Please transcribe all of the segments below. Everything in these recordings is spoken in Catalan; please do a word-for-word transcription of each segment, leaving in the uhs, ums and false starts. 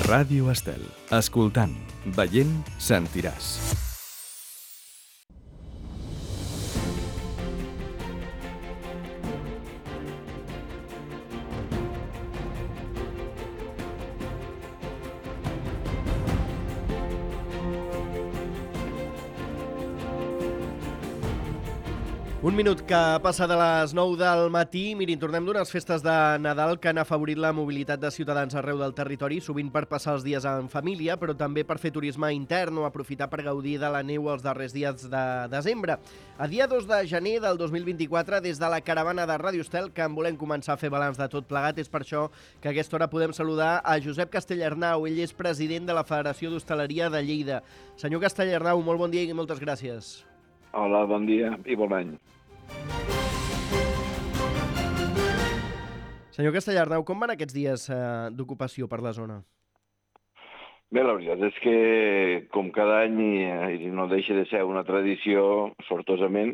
Ràdio Estel. Escoltant, veient, sentiràs. Un minut que passa de les nou del matí. Mirin, tornem d'unes festes de Nadal que han afavorit la mobilitat de ciutadans arreu del territori, sovint per passar els dies en família, però també per fer turisme intern o aprofitar per gaudir de la neu els darrers dies de desembre. A dia dos de gener del dos mil vint-i-quatre, des de la caravana de Ràdio Estel, que en volem començar a fer balanç de tot plegat, és per això que a aquesta hora podem saludar a Josep Castellarnau. Ell és president de la Federació d'Hostaleria de Lleida. Senyor Castellarnau, molt bon dia i moltes gràcies. Hola, bon dia i bon any. Senyor Castellarnau, com van aquests dies eh, d'ocupació per la zona? Bé, la veritat és que, com cada any, i no deixa de ser una tradició, sortosament,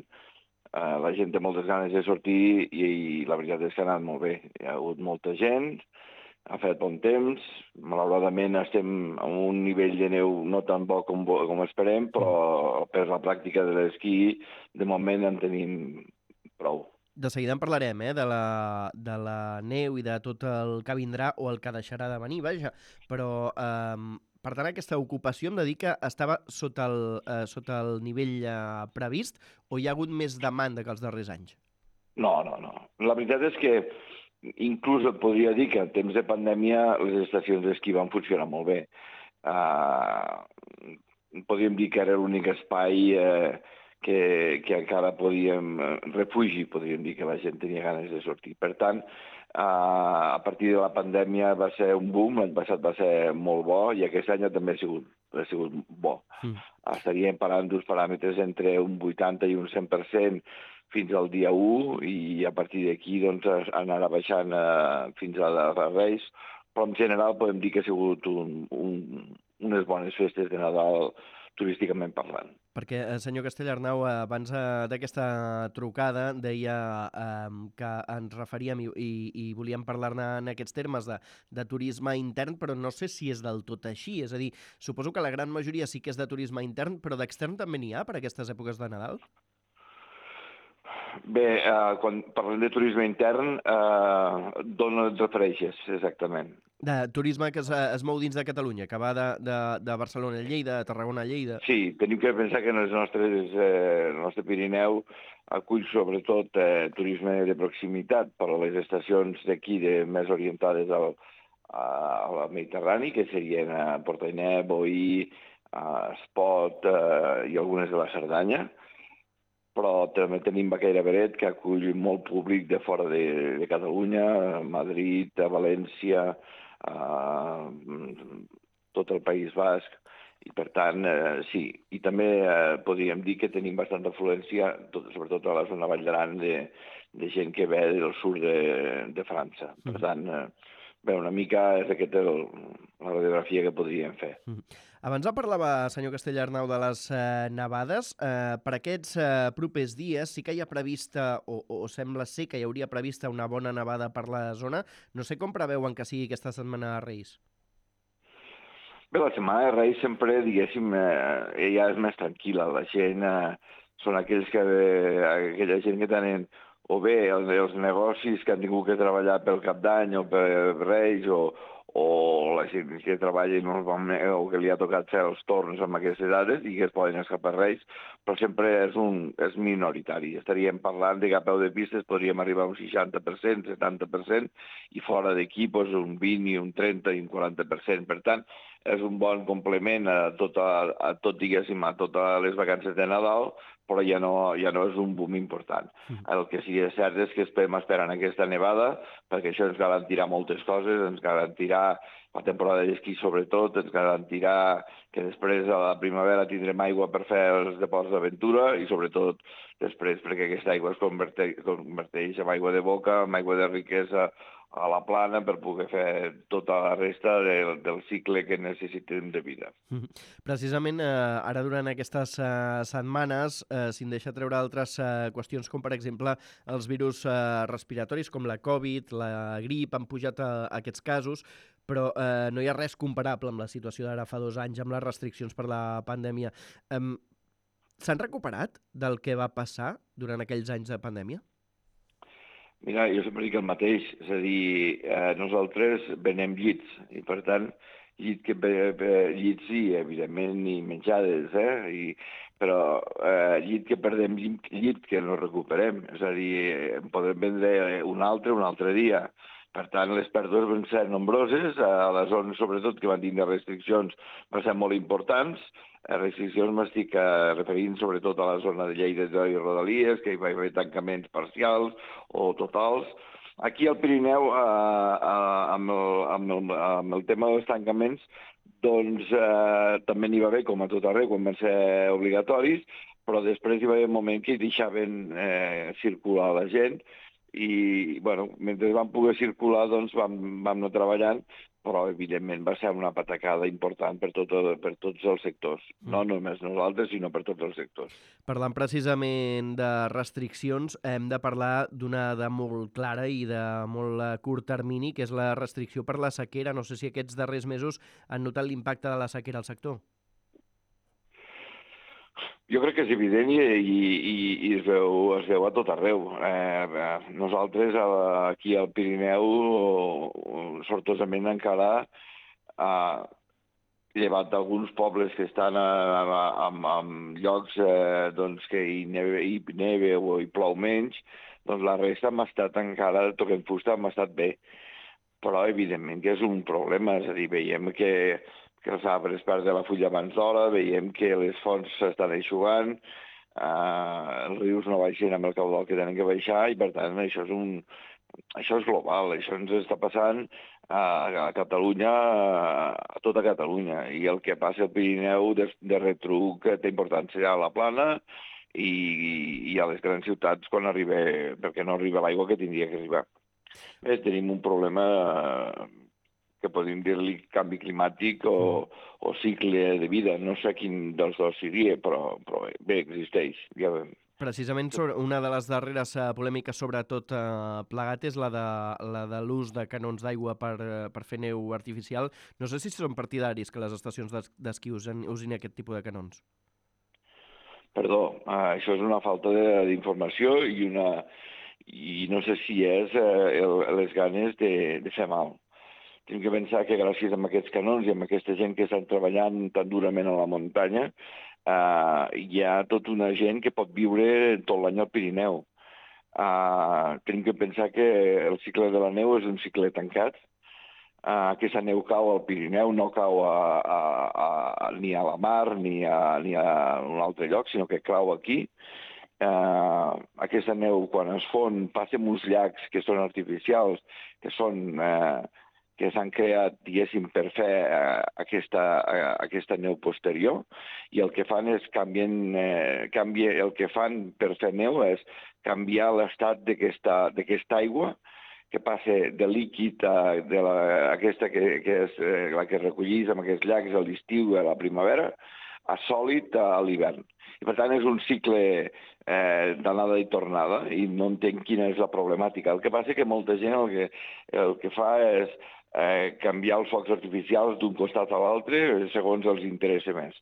eh, la gent té moltes ganes de sortir i, i la veritat és que ha anat molt bé. Hi ha hagut molta gent, ha fet bon temps, malauradament estem a un nivell de neu no tan bo com, com esperem, però per la pràctica de l'esquí, de moment en tenim prou. De seguida en parlarem, eh, de la, de la neu i de tot el que vindrà o el que deixarà de venir, vaja, però eh, per tant aquesta ocupació em dedica estava sota el, eh, sota el nivell eh, previst o hi ha hagut més demanda que els darrers anys? No, no, no. La veritat és que inclús et podria dir que en temps de pandèmia les estacions d'esquí van funcionar molt bé. Uh, podríem dir que era l'únic espai uh, que, que encara podíem, refugi, podríem dir que la gent tenia ganes de sortir. Per tant, uh, a partir de la pandèmia va ser un boom, l'any passat va ser molt bo i aquest any també ha sigut, ha sigut bo. Mm. Estaríem parlant d'uns paràmetres entre un vuitanta i un cent per cent fins al dia u i a partir d'aquí doncs, anarà baixant uh, fins a les Reis, però en general podem dir que ha sigut un, un, unes bones festes de Nadal turísticament parlant. Perquè, senyor Castellarnau, abans d'aquesta trucada deia eh, que ens referíem i, i, i volíem parlar-ne en aquests termes de, de turisme intern, però no sé si és del tot així. És a dir, suposo que la gran majoria sí que és de turisme intern, però d'extern també n'hi ha per aquestes èpoques de Nadal? Bé, uh, quan parlem de turisme intern, uh, d'on et refereixes exactament? De turisme que es, es mou dins de Catalunya, que va de, de, de Barcelona a Lleida, de Tarragona a Lleida. Sí, tenim que pensar que en els nostres, eh, el nostre Pirineu acull sobretot eh, turisme de proximitat per a les estacions d'aquí de, més orientades al, al Mediterrani, que serien a Portainé, Boí, a Espot eh, i algunes de la Cerdanya. Però també tenim Baqueira Beret, que acull molt públic de fora de, de Catalunya, a Madrid, a València, a tot el País Basc, i per tant, eh, sí. I també eh, podríem dir que tenim bastanta afluència, tot, sobretot a la zona Vall d'Aran, de, de gent que ve del sud de, de França. Per tant, eh, bé, una mica és aquesta el, la radiografia que podríem fer. Abans parlava, senyor Castellarnau, de les eh, nevades. Eh, per aquests eh, propers dies sí que hi ha prevista, o, o sembla ser que hi hauria prevista una bona nevada per la zona. No sé com preveuen que sigui aquesta setmana de Reis. Bé, la setmana de Reis sempre, diguéssim, eh, ja és més tranquil·la. La gent eh, són aquells que, eh, aquella gent que tenen o bé els, els negocis que han tingut que treballar pel Cap d'Any o per Reis o o la gent que treballa normalment o que li ha tocat fer els torns amb aquestes dades i que es poden escapar Reis, però sempre és, un, és minoritari. Estaríem parlant de que a peu de pistes podríem arribar a un seixanta per cent, setanta per cent, i fora d'aquí doncs, un vint, i un trenta i un quaranta per cent. Per tant, és un bon complement a tot, a, a tot diguéssim, a totes les vacances de Nadal, però ja no, ja no és un boom important. El que sí que és cert és que estem esperant aquesta nevada, perquè això ens garantirà moltes coses, ens garantirà la temporada d'esquí sobretot, ens garantirà que després a la primavera tindrem aigua per fer els depòsits d'aventura i sobretot després perquè aquesta aigua es converteix, converteix en aigua de boca, en aigua de riquesa a la plana per poder fer tota la resta de, del cicle que necessitem de vida. Precisament eh, ara durant aquestes eh, setmanes eh, s'hi deixa treure altres eh, qüestions com per exemple els virus eh, respiratoris com la Covid, la grip, han pujat a, a aquests casos, però eh, no hi ha res comparable amb la situació d'ara fa dos anys, amb les restriccions per la pandèmia. Um, S'han recuperat del que va passar durant aquells anys de pandèmia? Mira, jo sempre dic el mateix, és a dir, eh, nosaltres venem llits, i per tant, llit que, eh, llits i, evidentment, i menjades, eh? I, però eh, llit que perdem, llit que no recuperem, és a dir, en podem vendre un altre un altre dia. Per tant, les pèrdues van ser nombroses, a les zones, sobretot, que van tindre restriccions, van ser molt importants. A restriccions m'estic eh, referint sobretot a la zona de Lleida i Rodalies, que hi va haver tancaments parcials o totals. Aquí al Pirineu, eh, eh, amb, el, amb, el, amb el tema dels tancaments, doncs eh, també n'hi va haver, com a tot arreu, quan van ser obligatoris, però després hi va haver un moment que hi deixaven eh, circular la gent, i, bueno, mentre vam poder circular, doncs vam, vam anar treballant, però, evidentment, va ser una patacada important per, tot, per tots els sectors. No només nosaltres, sinó per tots els sectors. Parlant precisament de restriccions, hem de parlar d'una de molt clara i de molt a curt termini, que és la restricció per la sequera. No sé si aquests darrers mesos han notat l'impacte de la sequera al sector. Jo crec que és evident i, i, i es, veu, es veu a tot arreu. Eh, nosaltres aquí al Pirineu, sortosament encara, eh, llevat d'alguns pobles que estan en llocs eh, doncs, que hi neve, hi neve o hi plou menys, doncs la resta hem estat encara, toquem fusta, hem estat bé. Però, evidentment, que és un problema. És a dir, veiem que que els arbres perden la fulla abans d'hora, veiem que les fonts s'estan eixugant, eh, els rius no baixen amb el caudal que tenen que baixar, i per tant això és, un, això és global, això ens està passant a, a Catalunya, a tota Catalunya, i el que passa al Pirineu de, de retruc té importància a la Plana i, i a les grans ciutats quan arriba, perquè no arriba l'aigua que tindria que arribar. Bé, tenim un problema que podem dir-li canvi climàtic o, o cicle de vida. No sé quin dels dos seria, però, però bé, existeix. Ja veiem. Precisament sobre una de les darreres uh, polèmiques sobre tot uh, plegat és la de, la de l'ús de canons d'aigua per, uh, per fer neu artificial. No sé si són partidaris que les estacions d'esquí usin, usin aquest tipus de canons. Perdó, uh, això és una falta d'informació i, una, i no sé si és uh, el, les ganes de, de fer mal. Tenim que pensar que gràcies a aquests canons i a aquesta gent que estan treballant tan durament a la muntanya, eh, hi ha tota una gent que pot viure tot l'any al Pirineu. Eh, tenim que pensar que el cicle de la neu és un cicle tancat. Eh, aquesta neu cau al Pirineu, no cau a, a, a, ni a la mar ni a, ni a un altre lloc, sinó que cau aquí. Eh, aquesta neu, quan es fon, passa en uns llacs que són artificials, que són... Eh, que s'han creat, diguéssim, per fer eh, aquesta, eh, aquesta neu posterior, i el que fan és canvien, eh, canvia, el que fan per fer neu és canviar l'estat d'aquesta aigua, que passa de líquid a de la, aquesta que, que és eh, la que recollís amb aquests llacs a l'estiu i a la primavera, a sòlid a l'hivern. I per tant és un cicle eh, d'anada i tornada, i no entenc quina és la problemàtica. El que passa és que molta gent el que, el que fa és eh, canviar els focs artificials d'un costat a l'altre segons els interessa més.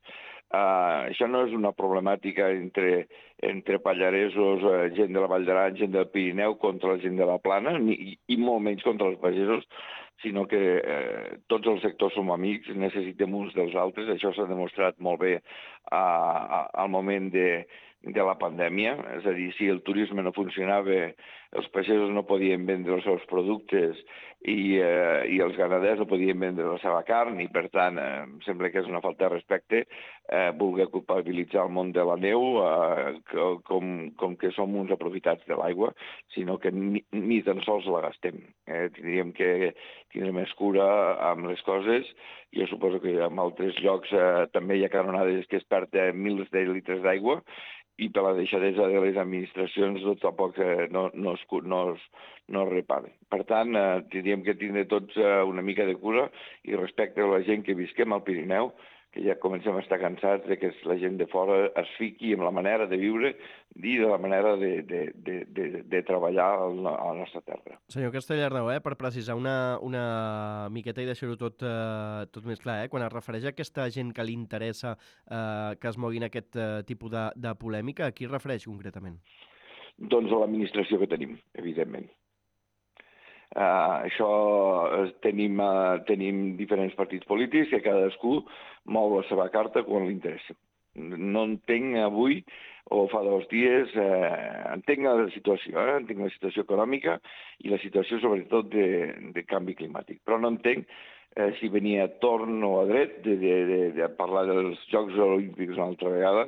Uh, això no és una problemàtica entre, entre pallaresos, eh, gent de la Vall d'Aran, gent del Pirineu contra la gent de la Plana, ni, i molt menys contra els pagesos, sinó que eh, tots els sectors som amics, necessitem uns dels altres. Això s'ha demostrat molt bé uh, uh, al moment de, de la pandèmia. És a dir, si el turisme no funcionava, els pagesos no podien vendre els seus productes i, eh, i els ganaders no podien vendre la seva carn, i per tant eh, em sembla que és una falta de respecte eh, voler culpabilitzar el món de la neu eh, com, com que som uns aprofitats de l'aigua, sinó que ni, ni tan sols la gastem. Eh, tindríem que tindre més cura amb les coses. Jo suposo que en altres llocs eh, també hi ha canonades que es perden mils de litres d'aigua, i per la deixadesa de les administracions doncs, tampoc eh, no, no, es, no, es, no es reparen. Per tant, eh, tindríem que tindre tots eh, una mica de cura i respecte a la gent que visquem al Pirineu, que ja comencem a estar cansats de que la gent de fora es fiqui en la manera de viure i de la manera de, de, de, de, de treballar a la nostra terra. Senyor Castellarnau, eh, per precisar una, una miqueta i deixar-ho tot, eh, tot més clar, eh, quan es refereix a aquesta gent que li interessa eh, que es moguin aquest eh, tipus de, de polèmica, a qui es refereix concretament? Doncs a l'administració que tenim, evidentment. Uh, això tenim, uh, tenim diferents partits polítics que cadascú mou la seva carta quan li interessa. No entenc avui, o fa dos dies, eh, entenc la situació, eh? entenc la situació econòmica i la situació sobretot de, de canvi climàtic, però no entenc eh, si venia a torn o a dret de, de, de, de parlar dels Jocs Olímpics una altra vegada,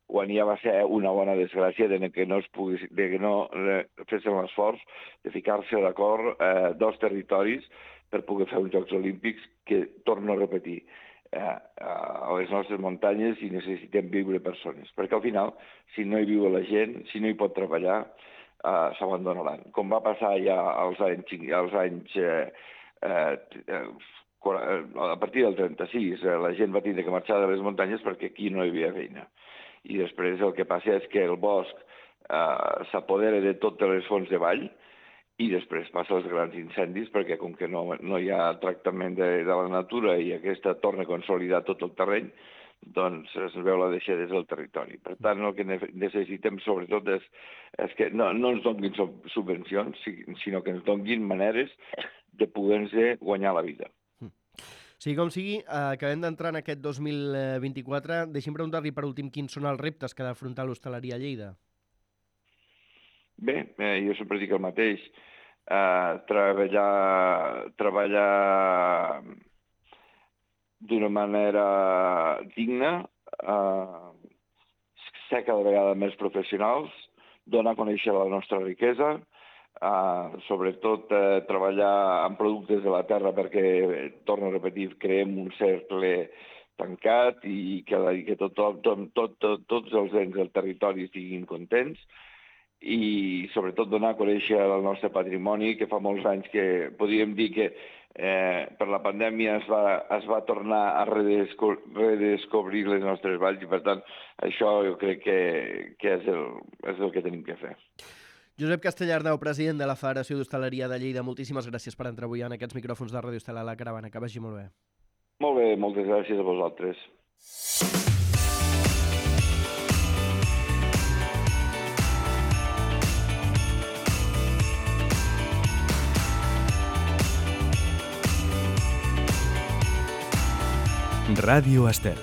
quan ja va ser una bona desgràcia de que no, es pogués, de que no eh, fessin l'esforç de ficar-se d'acord eh, dos territoris per poder fer uns Jocs Olímpics que, torno a repetir, eh, a les nostres muntanyes hi necessitem viure persones, perquè al final, si no hi viu la gent, si no hi pot treballar, eh, s'abandonaran. Com va passar ja als anys, als anys eh, eh, a partir del trenta-sis, eh, la gent va tindre que marxar de les muntanyes perquè aquí no hi havia feina. I després el que passa és que el bosc eh, s'apodera de totes les fonts de vall i després passa els grans incendis perquè com que no, no hi ha tractament de, de la natura i aquesta torna a consolidar tot el terreny, doncs es veu la deixadesa del territori. Per tant, el que necessitem sobretot és, és que no, no ens donguin subvencions, sinó que ens donguin maneres de poder-se guanyar la vida. Sigui com sigui, eh, acabem d'entrar en aquest dos mil vint-i-quatre. Deixi'm preguntar-li per últim quins són els reptes que ha d'afrontar l'hostaleria a Lleida. Bé, eh, jo sempre dic el mateix. Eh, treballar treballar d'una manera digna, eh, ser cada vegada més professionals, donar a conèixer la nostra riquesa, Uh, sobretot uh, treballar amb productes de la terra perquè, eh, torno a repetir, creem un cercle tancat i que, i que tot, tot, tot, tot, tots els ens del territori estiguin contents i sobretot donar a conèixer el nostre patrimoni, que fa molts anys que podríem dir que eh, per la pandèmia es va, es va tornar a redesco redescobrir les nostres valls i per tant això jo crec que, que és, el, és el que tenim que fer. Josep Castellarnau, president de la Federació d'Hostaleria de Lleida, moltíssimes gràcies per entrar avui en aquests micròfons de Ràdio Estel a la Caravana. Que vagi molt bé. Molt bé, moltes gràcies a vosaltres. Ràdio Estel.